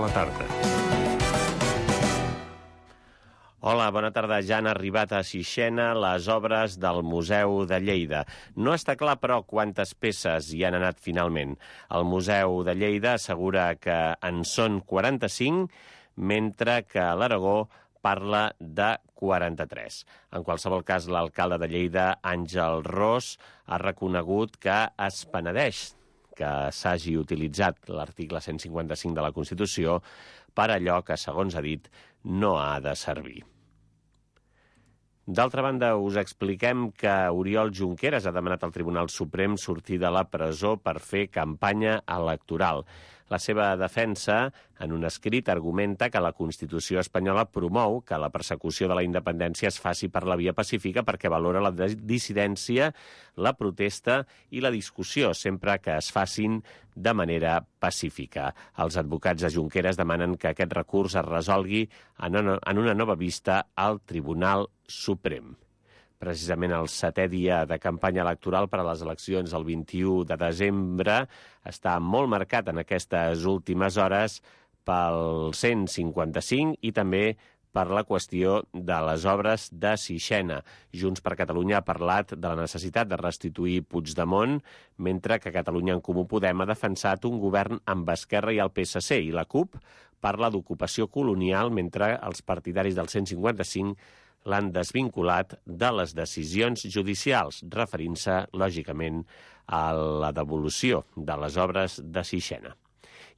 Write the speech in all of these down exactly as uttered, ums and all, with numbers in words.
la tarda. Hola, bona tarda. Ja han arribat a Sixena les obres del Museu de Lleida. No està clar, però, quantes peces hi han anat finalment. El Museu de Lleida assegura que en són quaranta-cinc, mentre que l'Aragó parla de quaranta-tres. En qualsevol cas, l'alcalde de Lleida, Àngel Ros, ha reconegut que es penedeix que s'hagi utilitzat l'article cent cinquanta-cinc de la Constitució per allò que, segons ha dit, no ha de servir. D'altra banda, us expliquem que Oriol Junqueras ha demanat al Tribunal Suprem sortir de la presó per fer campanya electoral. La seva defensa, en un escrit, argumenta que la Constitució espanyola promou que la persecució de la independència es faci per la via pacífica perquè valora la dissidència, la protesta i la discussió, sempre que es facin de manera pacífica. Els advocats de Junqueras demanen que aquest recurs es resolgui en una nova vista al Tribunal Suprem. Precisament el setè dia de campanya electoral per a les eleccions el vint-i-u de desembre està molt marcat en aquestes últimes hores pel cent cinquanta-cinc i també per la qüestió de les obres de Sixena. Junts per Catalunya ha parlat de la necessitat de restituir Puigdemont, mentre que Catalunya en Comú Podem ha defensat un govern amb Esquerra i el P S C, i la CUP parla d'ocupació colonial, mentre els partidaris del cent cinquanta-cinc l'han desvinculat de les decisions judicials, referint-se, lògicament, a la devolució de les obres de Sixena.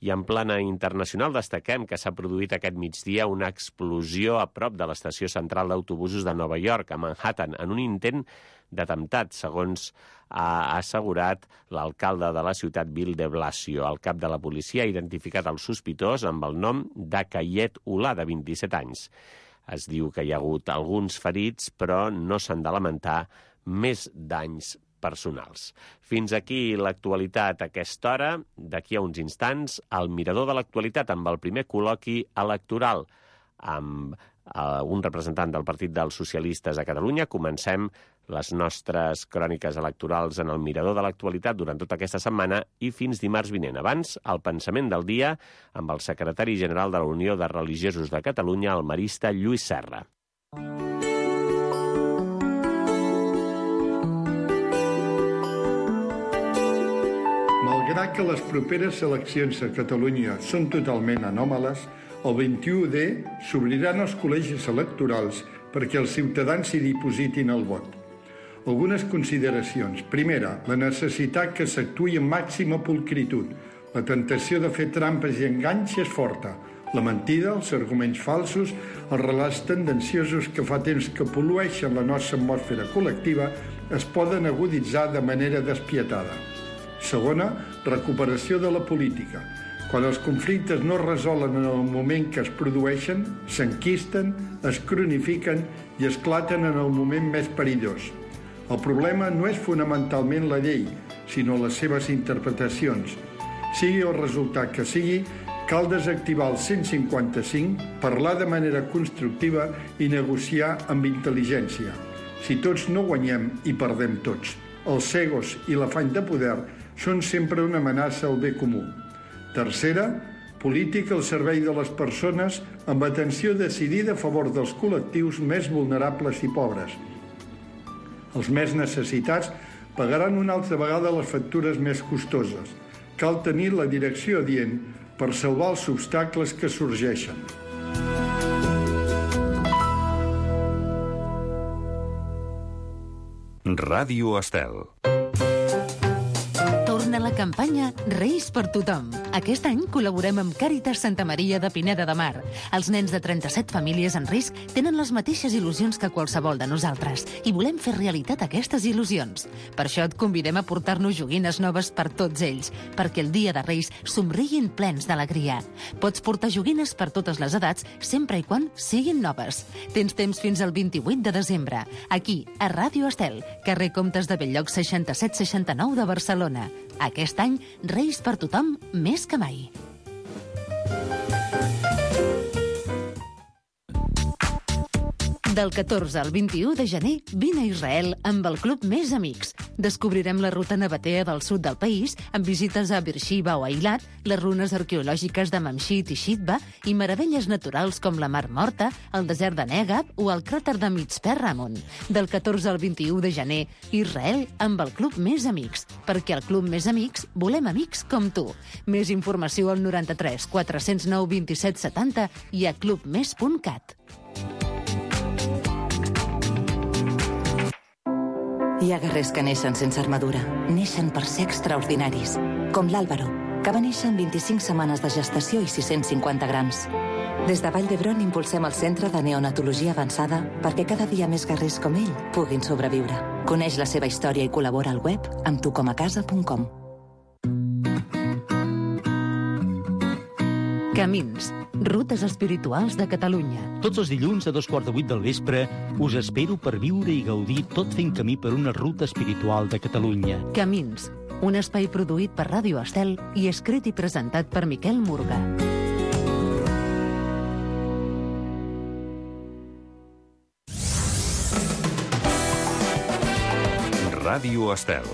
I en plana internacional destaquem que s'ha produït aquest migdia una explosió a prop de l'estació central d'autobusos de Nova York, a Manhattan, en un intent d'atemptat, segons ha assegurat l'alcalde de la ciutat, Bill de Blasio. El cap de la policia ha identificat el sospitós amb el nom d'Akayet Ullah, de vint-i-set anys. Es diu que hi ha hagut alguns ferits, però no s'han de lamentar més danys personals. Fins aquí l'actualitat a aquesta hora. D'aquí a uns instants, el mirador de l'actualitat amb el primer col·loqui electoral amb eh, un representant del Partit dels Socialistes a Catalunya. Comencem les nostres cròniques electorals en el mirador de l'actualitat durant tota aquesta setmana i fins dimarts vinent. Abans, el pensament del dia amb el secretari general de la Unió de Religiosos de Catalunya, el marista Lluís Serra. Malgrat que les properes eleccions a Catalunya són totalment anòmales, el vint-i-u de s'obriran els col·legis electorals perquè els ciutadans hi dipositin el vot. Algunes consideracions. Primera, la necessitat que s'actuï amb màxima pulcritud. La tentació de fer trampes i enganys és forta. La mentida, els arguments falsos, els relats tendenciosos que fa temps que pol·lueixen la nostra atmosfera col·lectiva es poden aguditzar de manera despietada. Segona, recuperació de la política. Quan els conflictes no es resolen en el moment que es produeixen, s'enquisten, es cronifiquen i esclaten en el moment més perillós. El problema no és fonamentalment la llei, sinó les seves interpretacions. Sigui el resultat que sigui, cal desactivar el cent cinquanta-cinc, parlar de manera constructiva i negociar amb intel·ligència. Si tots no guanyem, hi perdem tots. Els egos i l'afany de poder són sempre una amenaça al bé comú. Tercera, política al servei de les persones amb atenció decidida a favor dels col·lectius més vulnerables i pobres. Els més necessitats pagaran una altra vegada les factures més costoses. Cal tenir la direcció adient per salvar els obstacles que sorgeixen. Ràdio Estel. Torna la campanya Reis per tothom. Aquest any col·laborem amb Càritas Santa Maria de Pineda de Mar. Els nens de trenta-set famílies en risc tenen les mateixes il·lusions que qualsevol de nosaltres i volem fer realitat aquestes il·lusions. Per això et convidem a portar-nos joguines noves per tots ells, perquè el dia de Reis somriguin plens d'alegria. Pots portar joguines per totes les edats, sempre i quan siguin noves. Tens temps fins al vint-i-vuit de desembre, aquí, a Ràdio Estel, carrer Comtes de Belllloc seixanta-set seixanta-nou de Barcelona. Aquest any, Reis per tothom més que mai. Del catorze al vint-i-u de gener, vine a Israel amb el Club Més Amics. Descobrirem la ruta nabatea del sud del país amb visites a Beersheba o Eilat, les runes arqueològiques de Mamshit i Shitba i meravelles naturals com la Mar Morta, el desert de Negab o el cràter de Mitzpe Ramon. Del catorze al vint-i-u de gener, Israel amb el Club Més Amics. Perquè al Club Més Amics volem amics com tu. Més informació al noranta-tres quatre-cents nou vint-i-set setanta i a clubmes punt cat. Hi ha guerrers que neixen sense armadura. Neixen per ser extraordinaris. Com l'Àlvaro, que va néixer amb vint-i-cinc setmanes de gestació i sis-cents cinquanta grams. Des de Vall d'Hebron impulsem el Centre de Neonatologia Avançada perquè cada dia més guerrers com ell puguin sobreviure. Coneix la seva història i col·labora al web amb tu com a casa punt com. Camins, rutes espirituals de Catalunya. Tots els dilluns a dos quarts de vuit del vespre us espero per viure i gaudir tot fent camí per una ruta espiritual de Catalunya. Camins, un espai produït per Ràdio Estel i escrit i presentat per Miquel Murga. Ràdio Estel.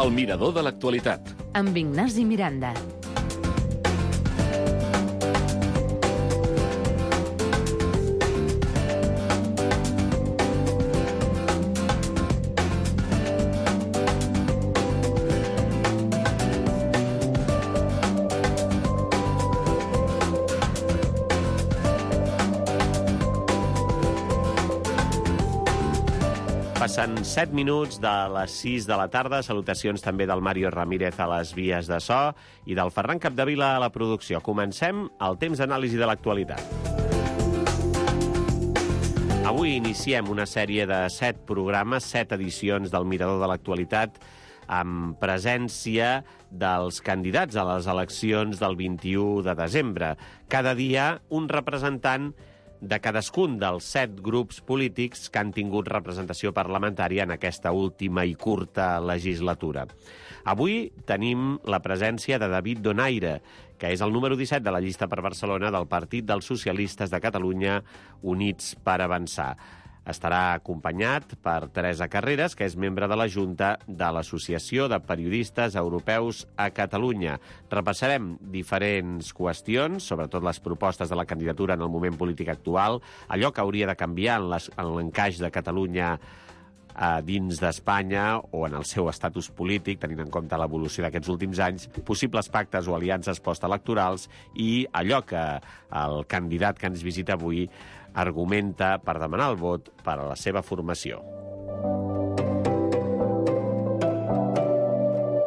El mirador de l'actualitat. Amb Ignasi Miranda. Passen set minuts de les sis de la tarda. Salutacions també del Mario Ramírez a les vies de so i del Ferran Capdevila a la producció. Comencem el temps d'anàlisi de l'actualitat. Avui iniciem una sèrie de set programes, set edicions del Mirador de l'actualitat, amb presència dels candidats a les eleccions del vint-i-u de desembre. Cada dia un representant de cadascun dels set grups polítics que han tingut representació parlamentària en aquesta última i curta legislatura. Avui tenim la presència de David Donaire, que és el número disset de la llista per Barcelona del Partit dels Socialistes de Catalunya, Units per Avançar. Estarà acompanyat per Teresa Carreras, que és membre de la Junta de l'Associació de Periodistes Europeus a Catalunya. Repassarem diferents qüestions, sobretot les propostes de la candidatura en el moment polític actual, allò que hauria de canviar en, les, en l'encaix de Catalunya a dins d'Espanya o en el seu estatus polític, tenint en compte l'evolució d'aquests últims anys, possibles pactes o aliances postelectorals i allò que el candidat que ens visita avui argumenta per demanar el vot per a la seva formació.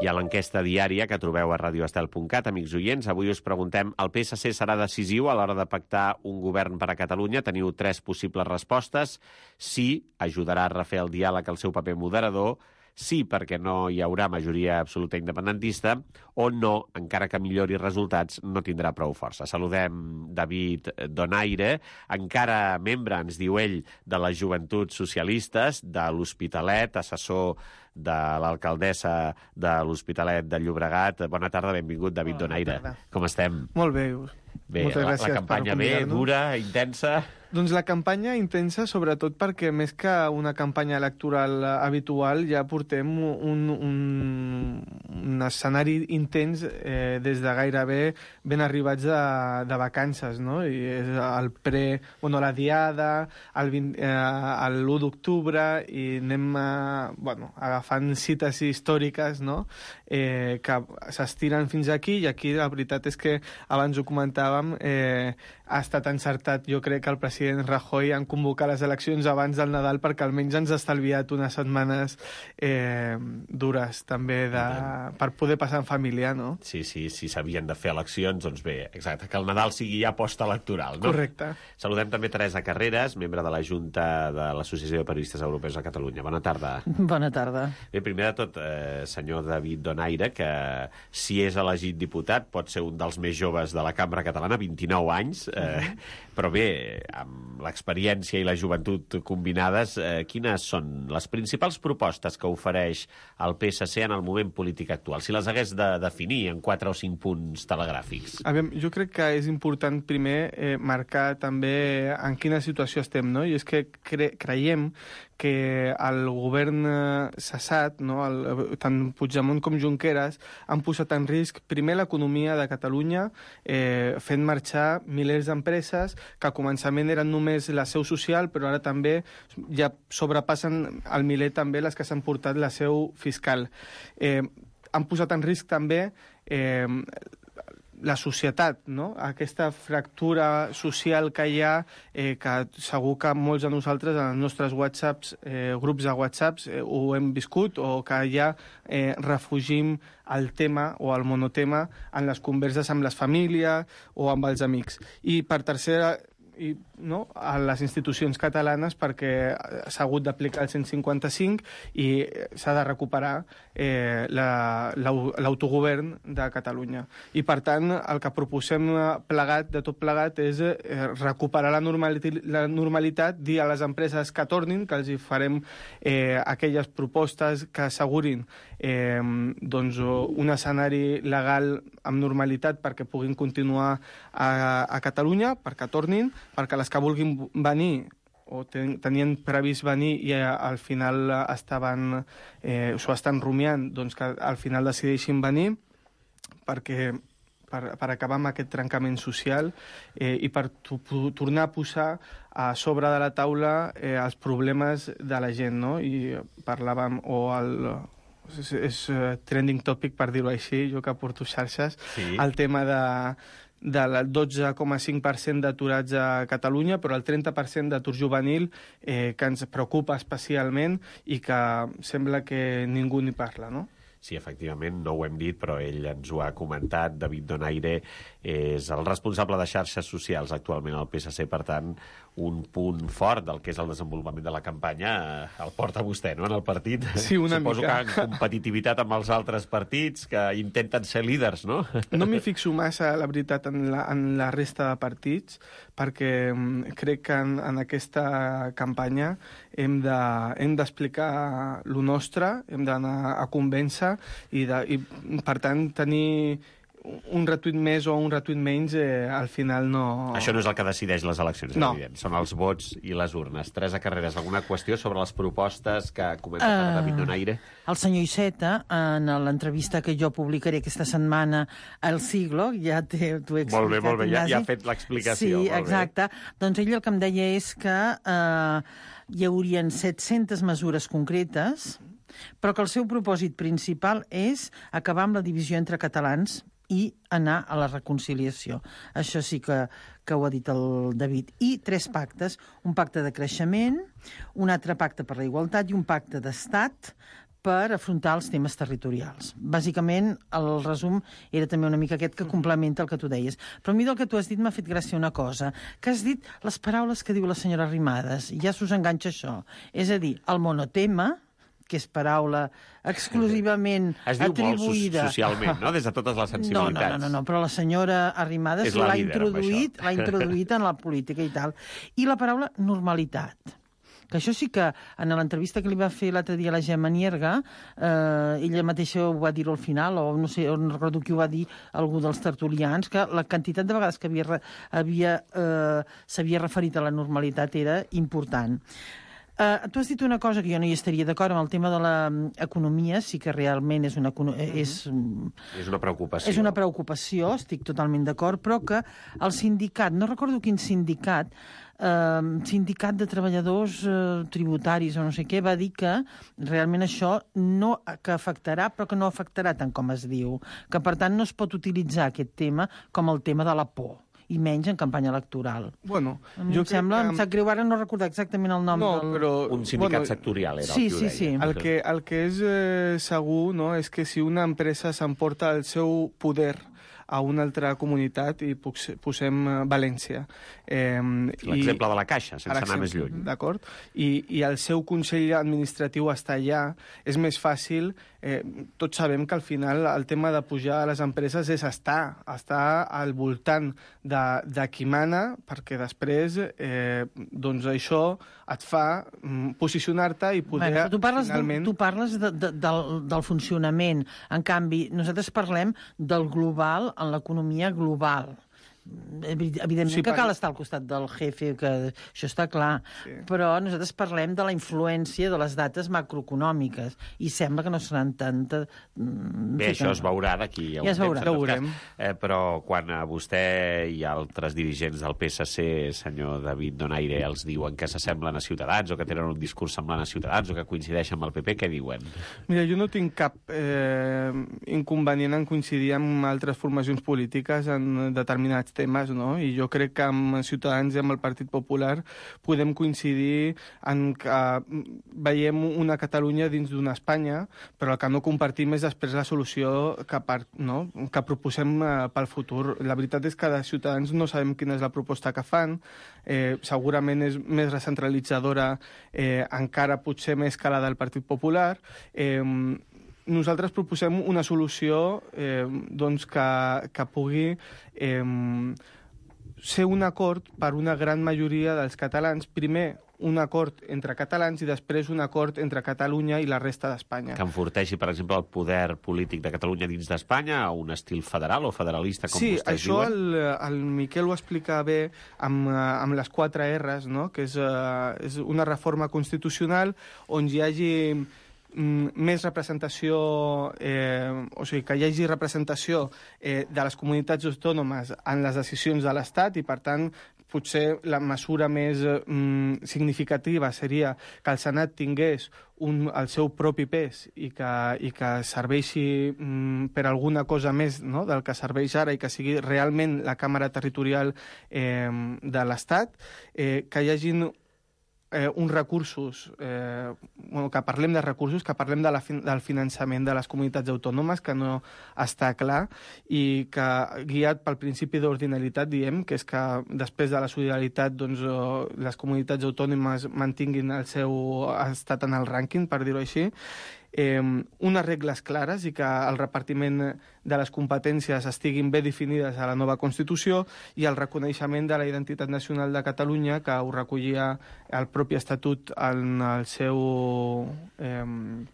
I a l'enquesta diària que trobeu a radioestel punt cat, amics oients, avui us preguntem: el P S C serà decisiu a l'hora de pactar un govern per a Catalunya? Teniu tres possibles respostes. Sí, ajudarà a refer el diàleg al seu paper moderador. Sí, perquè no hi haurà majoria absoluta independentista, o no, encara que millori resultats, no tindrà prou força. Saludem David Donaire, encara membre, ens diu ell, de les Joventuts Socialistes, de l'Hospitalet, assessor de l'alcaldessa de l'Hospitalet de Llobregat. Bona tarda, benvingut, David Bona Donaire. tarda. Com estem? Molt bé. Bé, Moltes la, gràcies la campanya per bé, convidar-nos. dura, intensa... Doncs la campanya intensa, sobretot perquè més que una campanya electoral habitual, ja portem un, un, un escenari intens eh, des de gairebé ben arribats de, de vacances, no? I és el pre... Bueno, la diada, el vint, eh, l'u d'octubre, i anem eh, bueno, agafant cites històriques, no? Eh, que s'estiren fins aquí, i aquí la veritat és que, abans ho comentàvem, eh, ha estat encertat, jo crec, que el president president Rajoy en convocar les eleccions abans del Nadal perquè almenys ens ha estalviat unes setmanes eh, dures també de, per poder passar en família, no? Sí, sí, si s'havien de fer eleccions, doncs bé, exacte, que el Nadal sigui ja postelectoral, no? Correcte. Saludem també Teresa Carreras, membre de la Junta de l'Associació de Periodistes Europeus a Catalunya. Bona tarda. Bona tarda. Bé, primer de tot, eh, senyor David Donaire, que si és elegit diputat pot ser un dels més joves de la Cambra Catalana, vint-i-nou anys, eh, uh-huh. però bé, amb l'experiència i la joventut combinades, eh, quines són les principals propostes que ofereix el P S C en el moment polític actual? Si les hagués de definir en quatre o cinc punts telegràfics. A veure, jo crec que és important primer eh, marcar també en quina situació estem, no? I és que cre creiem que el govern cessat, no? el, tant Puigdemont com Junqueras, han posat en risc primer l'economia de Catalunya, eh, fent marxar milers d'empreses que al començament eren només la seu social, però ara també ja sobrepassen el miler també les que s'han portat la seu fiscal. Eh, han posat en risc també eh, la societat, no? Aquesta fractura social que hi ha, eh, que segur que molts de nosaltres en els nostres whatsapps, eh, grups de whatsapps, eh, ho hem viscut, o que ja eh, refugim el tema o el monotema en les converses amb les famílies o amb els amics. I per tercera, i, no, a les institucions catalanes, perquè s'ha hagut d'aplicar el cent cinquanta cinc i s'ha de recuperar eh, l'autogovern de Catalunya. I, per tant, el que proposem plegat, de tot plegat, és eh, recuperar la, normali la normalitat, dir a les empreses que tornin, que els hi farem eh, aquelles propostes que assegurin eh, doncs, un escenari legal amb normalitat perquè puguin continuar a, a Catalunya, perquè tornin, perquè les que vulguin venir o ten, tenien previst venir i a, al final estaven, eh, s'ho estan rumiant, doncs que al final decideixin venir perquè per, per acabar amb aquest trencament social eh, i per tornar a posar a sobre de la taula eh, els problemes de la gent, no? I parlàvem, o el... és, és trending topic, per dir-ho així, jo que porto xarxes, sí. El tema de del dotze coma cinc per cent d'aturats a Catalunya, però el trenta per cent d'atur juvenil eh, que ens preocupa especialment i que sembla que ningú n'hi parla, no? Sí, efectivament, no ho hem dit, però ell ens ho ha comentat. David Donaire és el responsable de xarxes socials actualment al P S C, per tant, un punt fort del que és el desenvolupament de la campanya el porta vostè, no?, en el partit. Sí, una Suposo mica. que en competitivitat amb els altres partits que intenten ser líders, no? No m'hi fixo massa, la veritat, en la, en la resta de partits, perquè crec que en, en aquesta campanya hem de, hem d'explicar lo nostre, hem d'anar a convèncer i, de, i, per tant, tenir un retuit més o un retuit menys, eh, al final no... Això no és el que decideix les eleccions, no. Evident. Són els vots i les urnes. Teresa Carreras, alguna qüestió sobre les propostes que ha comentat uh, David Donaire? El senyor Iceta, en l'entrevista que jo publicaré aquesta setmana al Siglo, ja t'ho he explicat. Molt bé, molt bé, ja, ja ha fet l'explicació. Sí, molt exacte. Bé. Doncs ell el que em deia és que eh, hi haurien set-centes mesures concretes, però que el seu propòsit principal és acabar amb la divisió entre catalans i anar a la reconciliació. Això sí que, que ho ha dit el David. I tres pactes, un pacte de creixement, un altre pacte per la igualtat i un pacte d'estat per afrontar els temes territorials. Bàsicament, el resum era també una mica aquest que complementa el que tu deies. Però a mi del que tu has dit m'ha fet gràcia una cosa, que has dit les paraules que diu la senyora Arrimadas, i ja s'us enganxa això. És a dir, el monotema, que és paraula exclusivament es diu atribuïda... molt socialment, no?, des de totes les sensibilitats. No, no, no, no, però la senyora Arrimadas l'ha introduït, l'ha introduït en la política i tal. I la paraula normalitat. Que això sí que, en l'entrevista que li va fer l'altre dia a la Gemma Nierga, eh, ella mateixa ho va dir al final, o no sé, no recordo qui ho va dir, algú dels tertulians, que la quantitat de vegades que havia, havia, eh, s'havia referit a la normalitat era important. Uh, tu has dit una cosa que jo no hi estaria d'acord amb el tema de l'economia, sí que realment és una, és, és una preocupació. És una preocupació, estic totalment d'acord, però que el sindicat, no recordo quin sindicat, uh, sindicat de treballadors uh, tributaris o no sé què, va dir que realment això no que afectarà, però que no afectarà tant com es diu, que per tant no es pot utilitzar aquest tema com el tema de la por. i menys en campanya electoral. Bueno, em jo sembla, que... em sap greu ara no recordar exactament el nom no, del... però... Un sindicat bueno, sectorial era sí, el que ho sí, deia. sí. El que, el que és eh, segur, no?, és que si una empresa s'emporta el seu poder a una altra comunitat, i posem València. Eh, L'exemple de la Caixa, sense anar més lluny. D'acord? I, I el seu consell administratiu està allà, és més fàcil. Eh, tots sabem que al final el tema de pujar a les empreses és estar, estar al voltant de, de qui mana, perquè després eh, doncs això et fa mm, posicionar-te i poder... Bueno, tu parles, finalment... de, tu parles de, de, del, del funcionament. En canvi, nosaltres parlem del global en l'economia global. Evidentment sí, que cal estar al costat del jefe, que això està clar, sí. Però nosaltres parlem de la influència de les dates macroeconòmiques i sembla que no seran tanta... Bé, això es veurà d'aquí a un ja es veurà. temps, en tot cas. Eh, però quan a vostè i altres dirigents del P S C, senyor David Donaire, els diuen que s'assemblen a Ciutadans o que tenen un discurs semblant a Ciutadans o que coincideixen amb el P P, què diuen? Mira, jo no tinc cap eh, inconvenient en coincidir amb altres formacions polítiques en determinats temes, no? I jo crec que amb Ciutadans i amb el Partit Popular podem coincidir en que veiem una Catalunya dins d'una Espanya, però el que no compartim és després la solució que, per, no? que proposem eh, pel futur. La veritat és que de Ciutadans no sabem quina és la proposta que fan, eh, segurament és més recentralitzadora, eh, encara potser més que la del Partit Popular. Eh, Nosaltres proposem una solució eh, doncs que, que pugui eh, ser un acord per una gran majoria dels catalans. Primer, un acord entre catalans i després un acord entre Catalunya i la resta d'Espanya. Que enforteixi, per exemple, el poder polític de Catalunya dins d'Espanya a un estil federal o federalista, com sí, vostès això diuen? Sí, el, el Miquel ho explica bé amb, amb les quatre R's, no? Que és, uh, és una reforma constitucional on hi hagi més representació, eh, o sigui, que hi hagi representació eh, de les comunitats autònomes en les decisions de l'Estat i, per tant, potser la mesura més mm, significativa seria que el Senat tingués un, el seu propi pes i que, i que serveixi mm, per alguna cosa més, no?, del que serveix ara i que sigui realment la Càmera Territorial eh, de l'Estat, eh, que hi hagin Eh, uns recursos, eh, bueno, que parlem de recursos, que parlem de la fin del finançament de les comunitats autònomes, que no està clar, i que, guiat pel principi d'ordinalitat, diem, que és que després de la solidaritat doncs, eh, les comunitats autònomes mantinguin el seu estat en el rànquing, per dir-ho així, eh, unes regles clares i que el repartiment de les competències estiguin bé definides a la nova Constitució i el reconeixement de la identitat nacional de Catalunya, que ho recollia el propi Estatut en el seu... Eh,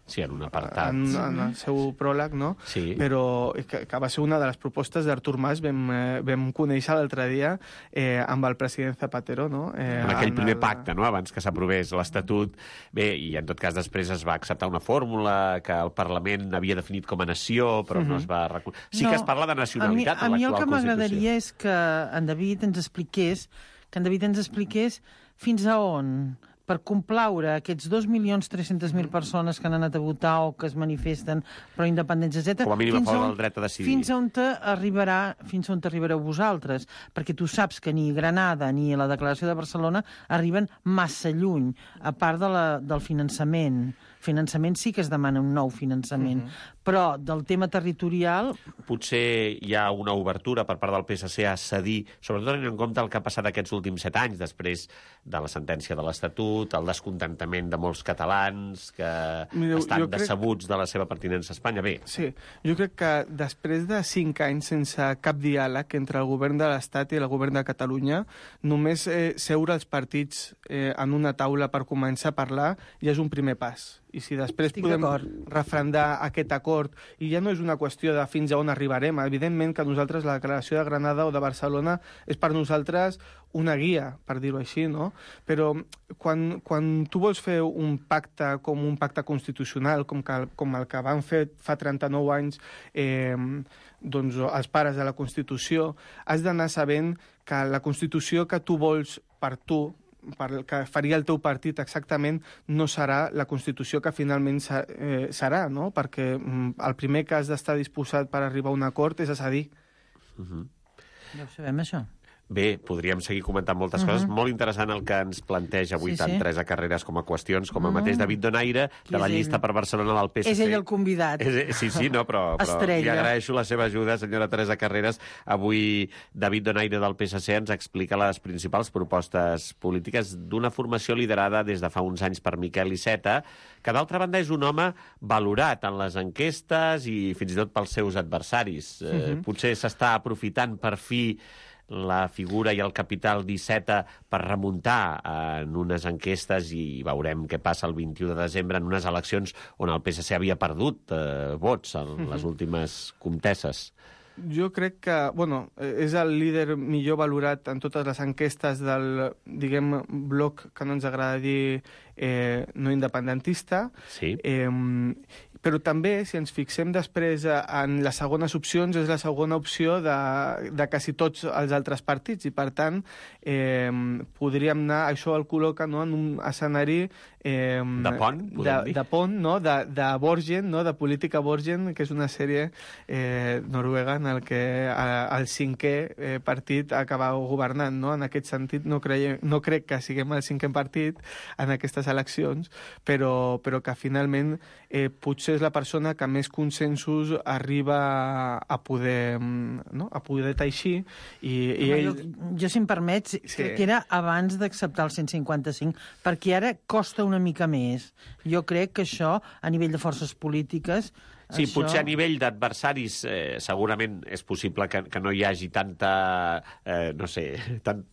sí, en un apartat. En, en el seu pròleg, no? Sí. Però que, que va ser una de les propostes d'Artur Mas, vam, eh, vam conèixer l'altre dia eh, amb el president Zapatero, no? Eh, en aquell en primer el... pacte, no?, abans que s'aprovés l'Estatut. Bé, i en tot cas després es va acceptar una fórmula que el Parlament havia definit com a nació, però uh-huh. no es va... Sí no, que es parla de nacionalitat a mi, a mi en l'actual Constitució. el que m'agradaria és que en David ens expliqués, que en David ens expliqués fins a on, per complaure aquests dos milions tres-centes mil persones que han anat a votar o que es manifesten pro independència, etcètera. Com a mínim a favor del dret a decidir. Fins on arribarà, fins on arribareu vosaltres, perquè tu saps que ni Granada ni la Declaració de Barcelona arriben massa lluny, a part de la, del finançament. Finançament sí que es demana un nou finançament, uh-huh. però del tema territorial... Potser hi ha una obertura per part del P S C a cedir, sobretot tenint en compte el que ha passat aquests últims set anys, després de la sentència de l'Estatut, el descontentament de molts catalans que Mireu, estan decebuts crec... de la seva pertinença a Espanya. Bé. Sí, jo crec que després de cinc anys sense cap diàleg entre el govern de l'Estat i el govern de Catalunya, només eh, seure els partits eh, en una taula per començar a parlar ja és un primer pas. I si després Estic podem refrendar aquest acord, i ja no és una qüestió de fins a on arribarem, evidentment que nosaltres la declaració de Granada o de Barcelona és per nosaltres una guia, per dir-ho així, no? Però quan, quan tu vols fer un pacte com un pacte constitucional, com, que, com el que van fer fa trenta-nou anys eh, doncs, els pares de la Constitució, has d'anar sabent que la Constitució que tu vols per tu, per que faria el teu partit exactament, no serà la Constitució que finalment eh, serà, no? Perquè mm, el primer que has d'estar disposat per arribar a un acord és a cedir. Uh-huh. Ja ho sabem, això. Bé, podríem seguir comentant moltes uh -huh. coses. Molt interessant el que ens planteja avui Sí, tant sí. Teresa Carreras com a qüestions, com el mateix David Donaire, Qui de la és llista ell? per Barcelona del P S C. És ell el convidat. És, sí, sí, no, però, però li Estrella. agraeixo la seva ajuda, senyora Teresa Carreras. Avui David Donaire del P S C ens explica les principals propostes polítiques d'una formació liderada des de fa uns anys per Miquel Iceta, que d'altra banda és un home valorat en les enquestes i fins i tot pels seus adversaris. Eh, uh -huh. Potser s'està aprofitant per fi la figura i el capital d'Iceta per remuntar en unes enquestes i veurem què passa el vint-i-u de desembre en unes eleccions on el P S C havia perdut eh, vots en uh-huh. les últimes comtesses. Jo crec que, bueno, és el líder millor valorat en totes les enquestes del, diguem, bloc que no ens agrada dir eh, no independentista. Sí. Eh, però també, si ens fixem després en les segones opcions, és la segona opció de, de quasi tots els altres partits, i per tant eh, podríem anar, això el col·loca, no, en un escenari eh, de pont, podem de, dir? de pont, no, de, de Borgen, no, de política Borgen, que és una sèrie eh, noruega en el que eh, el cinquè eh, partit acaba governant, no? En aquest sentit no, creiem, no crec que siguem el cinquè partit en aquestes eleccions, però, però que finalment eh, potser és la persona que més consensos arriba a poder, no? a poder teixir i, i Home, ell... jo, jo, si em permets, sí. crec que era abans d'acceptar el cent i cinquanta-cinc, perquè ara costa una mica més. Jo crec que això, a nivell de forces polítiques, Sí, això... potser a nivell d'adversaris eh, segurament és possible que, que no hi hagi tanta, eh, no sé, tant,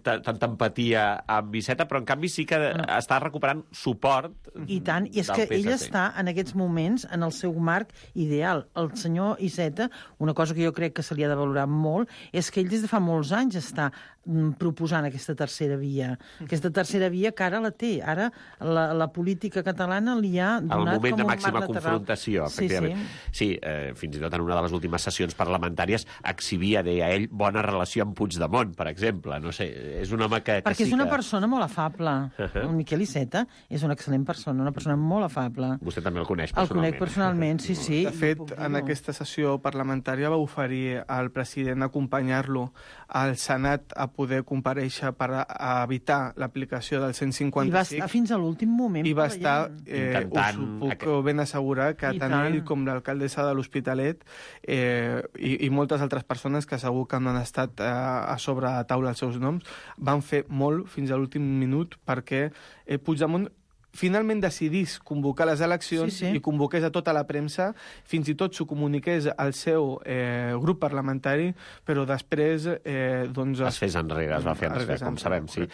tanta empatia amb Iceta, però en canvi sí que no. està recuperant suport. I tant, i és que ell està en aquests moments en el seu marc ideal. El senyor Iceta, una cosa que jo crec que se li ha de valorar molt, és que ell des de fa molts anys està proposant aquesta tercera via. Aquesta tercera via que ara la té. Ara la, la política catalana li ha donat com un marc lateral. El moment de màxima confrontació, efectivament. Sí, sí. sí eh, fins i tot en una de les últimes sessions parlamentàries exhibia, deia ell, bona relació amb Puigdemont, per exemple. No sé, és un home que, que Perquè sí és una que... persona molt afable. Uh-huh. El Miquel Iceta és una excel·lent persona, una persona molt afable. Vostè també el coneix personalment. El conec personalment, sí, sí. De fet, en aquesta sessió parlamentària va oferir al president acompanyar-lo al Senat a poder comparèixer per a evitar l'aplicació del cent cinquanta-cinc. I va estar fins a l'últim moment. I va estar, eh, intentant... us ho puc ben assegurar, que I tant tant. ell com l'alcaldessa de l'Hospitalet eh, i, i moltes altres persones que segur que no han estat eh, a sobre la taula els seus noms, van fer molt fins a l'últim minut perquè eh, Puigdemont finalment decidís convocar les eleccions sí, sí. i convoqués a tota la premsa, fins i tot s'ho comuniqués al seu eh, grup parlamentari, però després eh, doncs... Es fes enrere, es va fer enrere, com sabem, sí.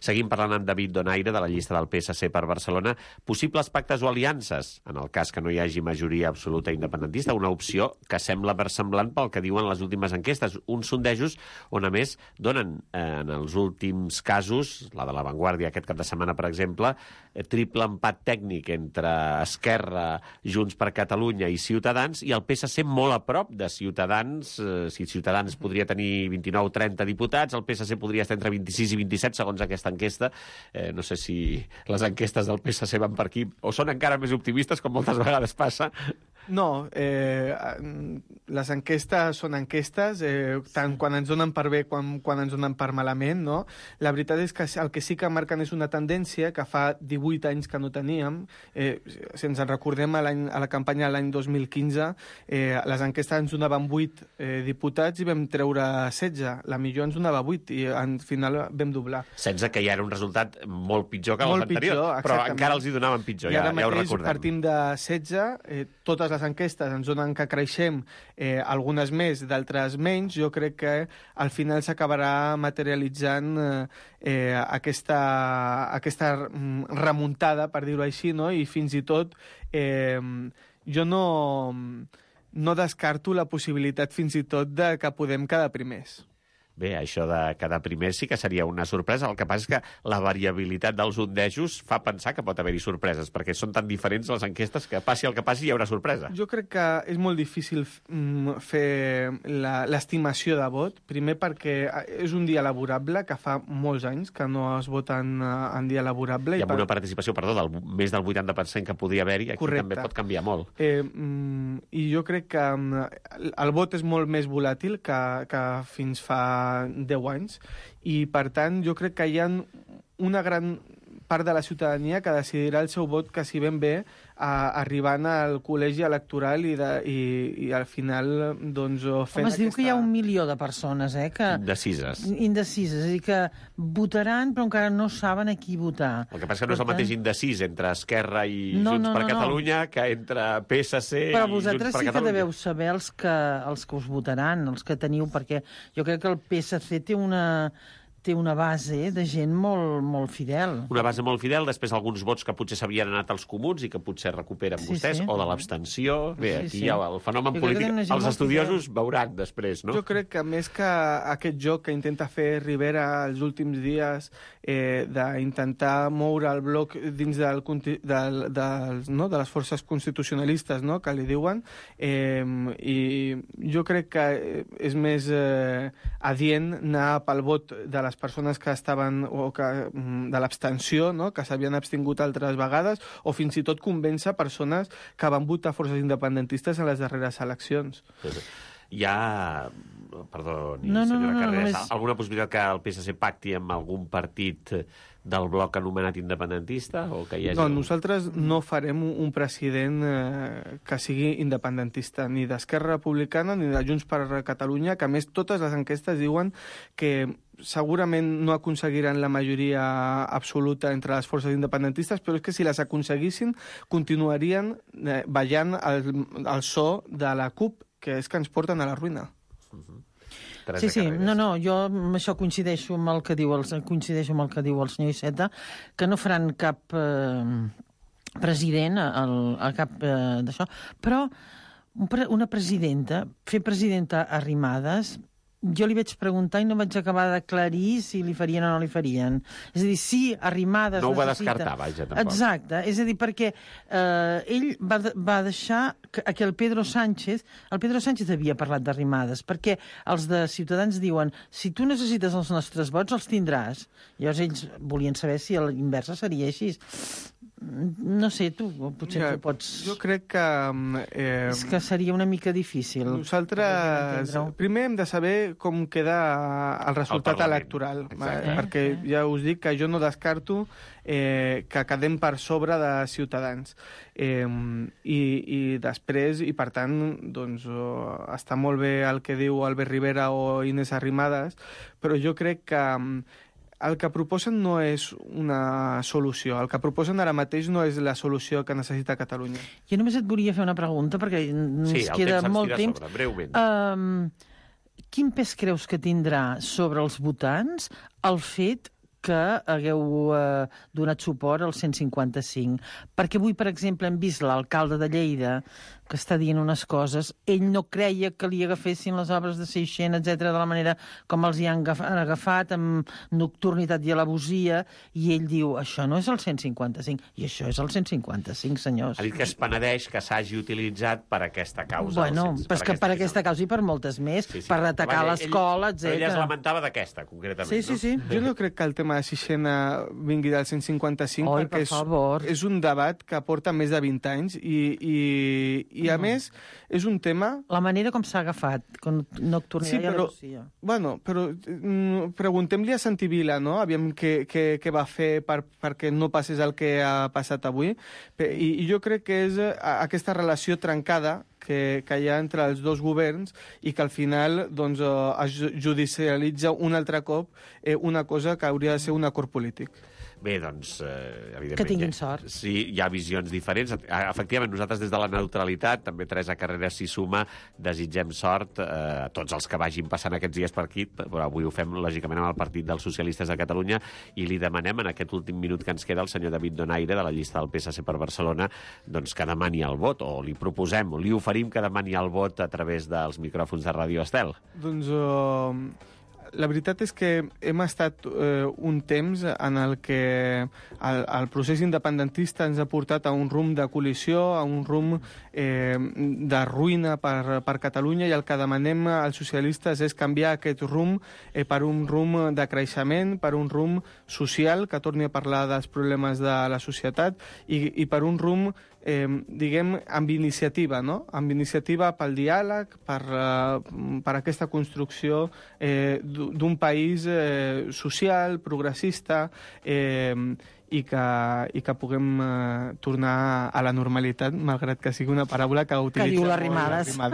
Seguim parlant amb David Donaire, de la llista del P S C per Barcelona. Possibles pactes o aliances, en el cas que no hi hagi majoria absoluta independentista, una opció que sembla versemblant pel que diuen les últimes enquestes. Uns sondejos on, a més, donen eh, en els últims casos, la de La Vanguardia aquest cap de setmana, per exemple, eh, triple empat tècnic entre Esquerra, Junts per Catalunya i Ciutadans, i el P S C molt a prop de Ciutadans. Eh, si Ciutadans podria tenir vint-i-nou o trenta diputats, el P S C podria estar entre vint-i-sis i vint-i-set, segons aquesta enquesta. Eh, no sé si les enquestes del P S C van per aquí, o són encara més optimistes, com moltes vegades passa. No, eh, les enquestes són enquestes, eh, tant quan ens donen per bé com quan ens donen per malament, no? La veritat és que el que sí que marquen és una tendència que fa divuit anys que no teníem. Eh, si ens en recordem a, a la campanya de l'any dos mil quinze, eh, les enquestes ens donaven vuit eh, diputats i vam treure setze. La millor ens donava vuit i al final vam doblar. setze, que ja era un resultat molt pitjor que l'anterior, però encara els hi donaven pitjor, I ja, ara ja ho mateix recordem. Partim de setze, eh, totes les enquestes ens donen que creixem, eh, algunes més, d'altres menys. Jo crec que al final s'acabarà materialitzant eh, eh, aquesta, aquesta remuntada, per dir-ho així, no? I fins i tot eh, jo no, no descarto la possibilitat fins i tot de que podem quedar primers. Bé, això de quedar primer sí que seria una sorpresa. El que passa és que la variabilitat dels sondejos fa pensar que pot haver-hi sorpreses, perquè són tan diferents les enquestes que passi el que passi hi haurà sorpresa. Jo crec que és molt difícil fer l'estimació de vot, primer perquè és un dia laborable, que fa molts anys que no es voten en dia laborable. I amb per... una participació, perdó, del més del vuitanta per cent que podria haver-hi, aquí Correcte. També pot canviar molt. Eh, I jo crec que el vot és molt més volàtil que, que fins fa fa deu anys. I, per tant, jo crec que hi ha una gran part de la ciutadania que decidirà el seu vot quasi ben bé a, arribant al col·legi electoral i, de, i, i al final doncs, fent Home, es diu aquesta... que hi ha un milió de persones eh, que... Indecises. Indecises, és a dir, que votaran però encara no saben a qui votar. El que passa que no és el mateix indecis entre Esquerra i no, Junts no, per no, Catalunya no. que entre P S C però i Junts per Catalunya. Però vosaltres sí que deveu saber els que, els que us votaran, els que teniu, perquè jo crec que el P S C té una... té una base de gent molt, molt fidel. Una base molt fidel, després alguns vots que potser s'havien anat als comuns i que potser recuperen sí, vostès, sí. o de l'abstenció. Bé, aquí sí, sí. hi ha el fenomen jo polític. Els estudiosos fidel. Veuran després, no? Jo crec que més que aquest joc que intenta fer Rivera els últims dies eh, d'intentar moure el bloc dins del, del, del, no, de les forces constitucionalistes, no?, que li diuen, eh, i jo crec que és més eh, adient anar pel vot de les persones que estaven, o que, de l'abstenció, no?, que s'havien abstingut altres vegades, o fins i tot convèncer persones que van votar forces independentistes en les darreres eleccions. Hi ha, perdó, no, no, senyora no, Carreras, no, no, alguna possibilitat que el P S C pacti amb algun partit del bloc anomenat independentista? O que hi hagi... No, nosaltres no farem un president eh, que sigui independentista, ni d'Esquerra Republicana ni de Junts per Catalunya, que a més totes les enquestes diuen que segurament no aconseguiran la majoria absoluta entre les forces independentistes, però és que si les aconseguissin continuarien eh, ballant el, el so de la CUP, que és que ens porten a la ruïna. Uh-huh. Sí, sí, no, no, jo amb això coincideixo amb el que diu el, coincideixo amb el que diu el senyor Iceta, que no faran cap eh, president al, a cap eh, d'això, però una presidenta, fer presidenta Arrimadas, jo li vaig preguntar i no vaig acabar d'aclarir si li farien o no li farien. És a dir, si Arrimadas... No ho va necessita... descartar, vaja, tampoc. Exacte, és a dir, perquè eh, ell va, va deixar que, que el Pedro Sánchez... El Pedro Sánchez havia parlat d'Arrimadas, perquè els de Ciutadans diuen si tu necessites els nostres vots, els tindràs. Llavors ells volien saber si a l'inversa seria així. No sé, tu potser ja, tu pots... Jo crec que... Eh, és que seria una mica difícil. Nosaltres primer hem de saber com queda el resultat el electoral. Exacte. Perquè ja us dic que jo no descarto eh, que quedem per sobre de Ciutadans. Eh, i, I després, i per tant, doncs, oh, està molt bé el que diu Albert Rivera o Inés Arrimadas, però jo crec que el que proposen no és una solució. El que proposen ara mateix no és la solució que necessita Catalunya. Jo només et volia fer una pregunta, perquè ens sí, queda temps molt temps. Sobre, breument. Um, quin pes creus que tindrà sobre els votants el fet que hagueu eh, donat suport al cent cinquanta-cinc? Perquè avui, per exemple, hem vist l'alcalde de Lleida que està dient unes coses, ell no creia que li agafessin les obres de Seixena, etcètera, de la manera com els hi han agafat, amb nocturnitat i alabosia, i ell diu, això no és el cent cinquanta-cinc, i això és el cent cinquanta-cinc, senyors. Ha dit que es penedeix que s'hagi utilitzat per aquesta causa. Bueno, cens, però és que per aquesta causa, causa i per moltes més, sí, sí. per atacar l'escola, etcètera. Però ella es lamentava d'aquesta, concretament, sí, sí, sí. no? Jo no crec que el tema de Sixena vingui del cent cinquanta-cinc, Oi, perquè per favor. és, és un debat que porta més de vint anys i, i, i a no. més és un tema... La manera com s'ha agafat, com nocturnitat sí, però, i alabosia. Bueno, però mm, preguntem-li a Santi Vila, no?, aviam què, què, què va fer per, perquè no passés el que ha passat avui. I, i jo crec que és aquesta relació trencada que, que hi ha entre els dos governs i que al final doncs, es judicialitza un altre cop eh, una cosa que hauria de ser un acord polític. Bé, doncs, eh, evidentment... Que tinguin sort. Sí, hi ha visions diferents. Efectivament, nosaltres des de la neutralitat, també Teresa Carreras s'hi suma, desitgem sort eh, a tots els que vagin passant aquests dies per aquí, però avui ho fem, lògicament, amb el Partit dels Socialistes de Catalunya, i li demanem, en aquest últim minut que ens queda, al senyor David Donaire, de la llista del P S C per Barcelona, doncs que demani el vot, o li proposem, o li oferim que demani el vot a través dels micròfons de Ràdio Estel. Doncs... Uh... La veritat és que hem estat eh, un temps en el que el, el procés independentista ens ha portat a un rumb de col·lisió, a un rumb eh, de ruïna per, per Catalunya, i el que demanem als socialistes és canviar aquest rumb eh, per un rumb de creixement, per un rumb social, que torni a parlar dels problemes de la societat, i, i per un rumb Eh, diguem, amb iniciativa, no? Amb iniciativa pel diàleg, per, uh, per aquesta construcció eh, d'un país eh, social, progressista, eh, i que, i que puguem eh, tornar a la normalitat, malgrat que sigui una paraula que utilitza... Que diu l'arrimades. No,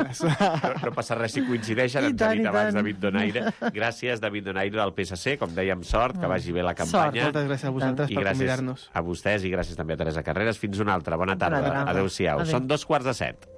no passa res si coincideixen, ens ha dit abans David Donaire. Gràcies, David Donaire, del P S C, com dèiem, sort, que vagi bé la campanya. Sort. Moltes gràcies a vosaltres per convidar-nos. A vostès i gràcies també a Teresa Carreras. Fins una altra. Bona tarda. Adéu-siau. Adéu. Són dos quarts de set.